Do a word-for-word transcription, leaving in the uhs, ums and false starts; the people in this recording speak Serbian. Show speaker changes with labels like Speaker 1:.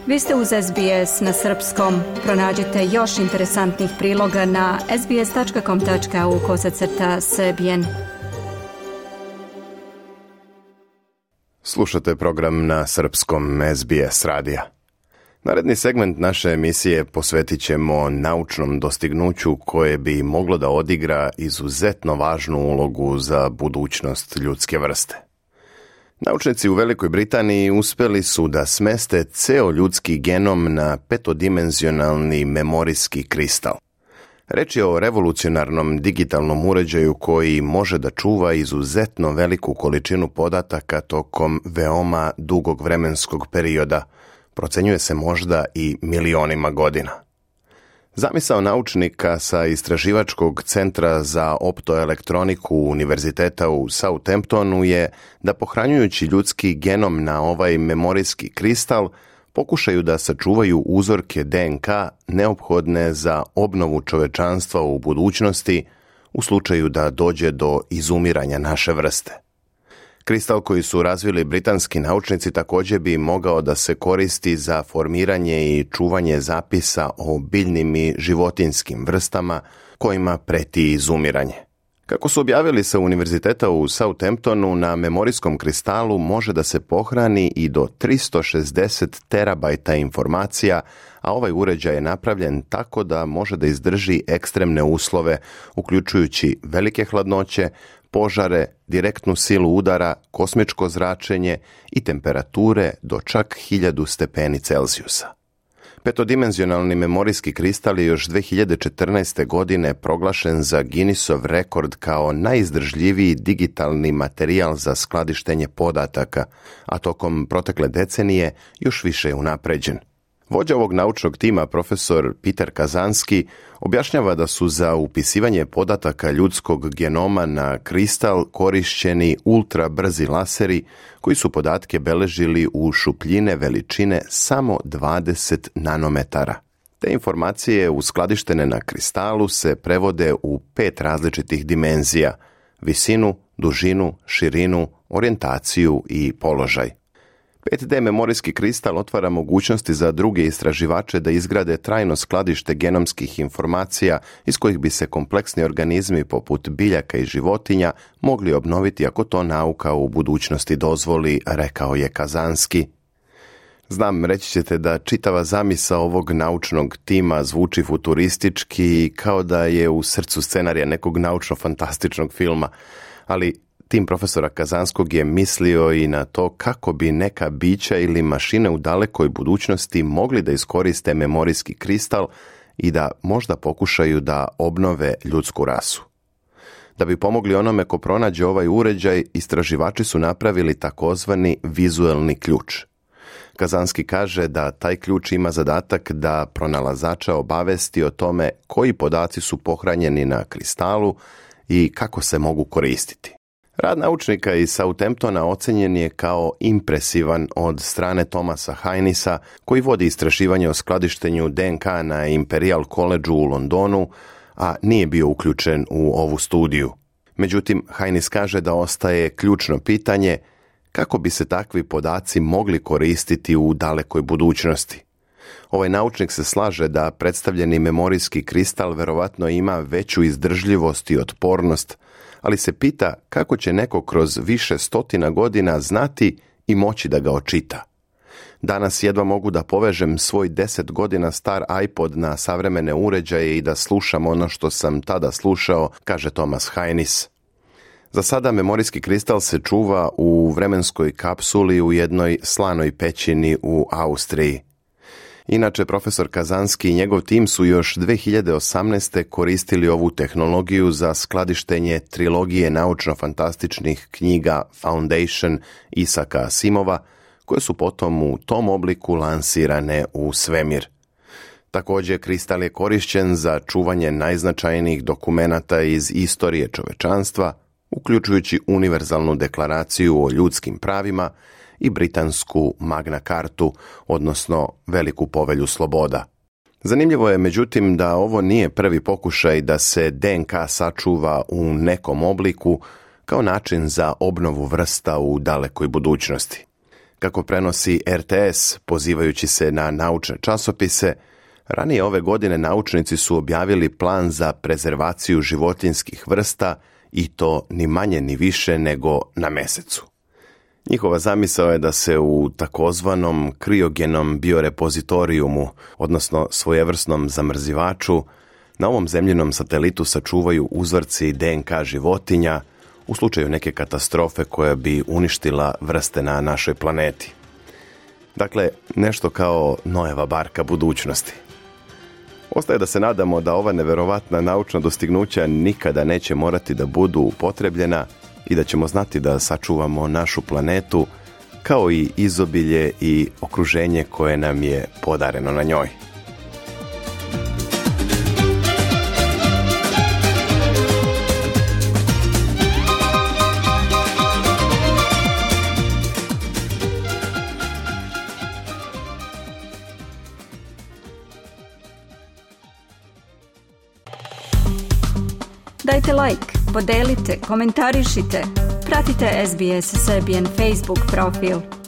Speaker 1: Vi ste uz S B S na srpskom. Pronađite još interesantnih priloga na sbs.com.au kosacrta srbijen.
Speaker 2: Slušate program na srpskom S B S radija. Naredni segment naše emisije posvetit ćemo naučnom dostignuću koje bi moglo da odigra izuzetno važnu ulogu za budućnost ljudske vrste. Naučnici u Velikoj Britaniji uspeli su da smeste ceo ljudski genom na petodimenzionalni memorijski kristal. Reč je o revolucionarnom digitalnom uređaju koji može da čuva izuzetno veliku količinu podataka tokom veoma dugog vremenskog perioda, procenjuje se možda i milionima godina. Zamisao naučnika sa Istraživačkog centra za optoelektroniku Univerziteta u Southamptonu je da pohranjujući ljudski genom na ovaj memorijski kristal pokušaju da sačuvaju uzorke D N K neophodne za obnovu čovečanstva u budućnosti u slučaju da dođe do izumiranja naše vrste. Kristal koji su razvili britanski naučnici također bi mogao da se koristi za formiranje i čuvanje zapisa o biljnim i životinjskim vrstama kojima preti izumiranje. Kako su objavili sa Univerziteta u Southamptonu, na memorijskom kristalu može da se pohrani i do tristo šezdeset terabajta informacija, a ovaj uređaj je napravljen tako da može da izdrži ekstremne uslove, uključujući velike hladnoće, požare, direktnu silu udara, kosmičko zračenje i temperature do čak hiljadu stepeni Celzijusa. Petodimenzionalni memorijski kristal je još dve hiljade četrnaeste. godine proglašen za Guinnessov rekord kao najizdržljiviji digitalni materijal za skladištenje podataka, a tokom protekle decenije još više je unapređen. Vođa ovog naučnog tima, profesor Peter Kazanski, objašnjava da su za upisivanje podataka ljudskog genoma na kristal korišćeni ultra brzi laseri koji su podatke beležili u šupljine veličine samo dvadeset nanometara. Te informacije uskladištene na kristalu se prevode u pet različitih dimenzija: visinu, dužinu, širinu, orijentaciju i položaj. pet D memorijski kristal otvara mogućnosti za druge istraživače da izgrade trajno skladište genomskih informacija iz kojih bi se kompleksni organizmi poput biljaka i životinja mogli obnoviti ako to nauka u budućnosti dozvoli, rekao je Kazanski. Znam, reći ćete da čitava zamisao ovog naučnog tima zvuči futuristički kao da je u srcu scenarija nekog naučno-fantastičnog filma, ali tim profesora Kazanskog je mislio i na to kako bi neka bića ili mašine u dalekoj budućnosti mogli da iskoriste memorijski kristal i da možda pokušaju da obnove ljudsku rasu. Da bi pomogli onome ko pronađe ovaj uređaj, istraživači su napravili takozvani vizuelni ključ. Kazanski kaže da taj ključ ima zadatak da pronalazača obavesti o tome koji podaci su pohranjeni na kristalu i kako se mogu koristiti. Rad naučnika iz Southamptona ocenjen je kao impresivan od strane Thomasa Hainisa, koji vodi istraživanje o skladištenju D N K na Imperial Collegeu u Londonu, a nije bio uključen u ovu studiju. Međutim, Hainis kaže da ostaje ključno pitanje kako bi se takvi podaci mogli koristiti u dalekoj budućnosti. Ovaj naučnik se slaže da predstavljeni memorijski kristal verovatno ima veću izdržljivost i otpornost, ali se pita kako će neko kroz više stotina godina znati i moći da ga očita. Danas jedva mogu da povežem svoj deset godina star iPod na savremene uređaje i da slušam ono što sam tada slušao, kaže Thomas Hainis. Za sada memorijski kristal se čuva u vremenskoj kapsuli u jednoj slanoj pećini u Austriji. Inače, profesor Kazanski i njegov tim su još dve hiljade osamnaeste. koristili ovu tehnologiju za skladištenje trilogije naučno-fantastičnih knjiga Foundation Isaka Asimova, koje su potom u tom obliku lansirane u svemir. Također, kristal je korišćen za čuvanje najznačajnijih dokumenata iz istorije čovečanstva, uključujući univerzalnu deklaraciju o ljudskim pravima i britansku Magna Cartu, odnosno Veliku povelju sloboda. Zanimljivo je međutim da ovo nije prvi pokušaj da se D N K sačuva u nekom obliku kao način za obnovu vrsta u dalekoj budućnosti. Kako prenosi R T S, pozivajući se na naučne časopise, ranije ove godine naučnici su objavili plan za prezervaciju životinjskih vrsta i to ni manje ni više nego na Mesecu. Njihova zamisao je da se u takozvanom kriogenom biorepozitorijumu, odnosno svojevrsnom zamrzivaču, na ovom zemljinom satelitu sačuvaju uzorci D N K životinja u slučaju neke katastrofe koja bi uništila vrste na našoj planeti. Dakle, nešto kao Noeva barka budućnosti. Ostaje da se nadamo da ova neverovatna naučna dostignuća nikada neće morati da budu upotrebljena i da ćemo znati da sačuvamo našu planetu kao i izobilje i okruženje koje nam je podareno na njoj.
Speaker 1: Dajte like, podelite, komentarišite, pratite S B S Serbian Facebook profil.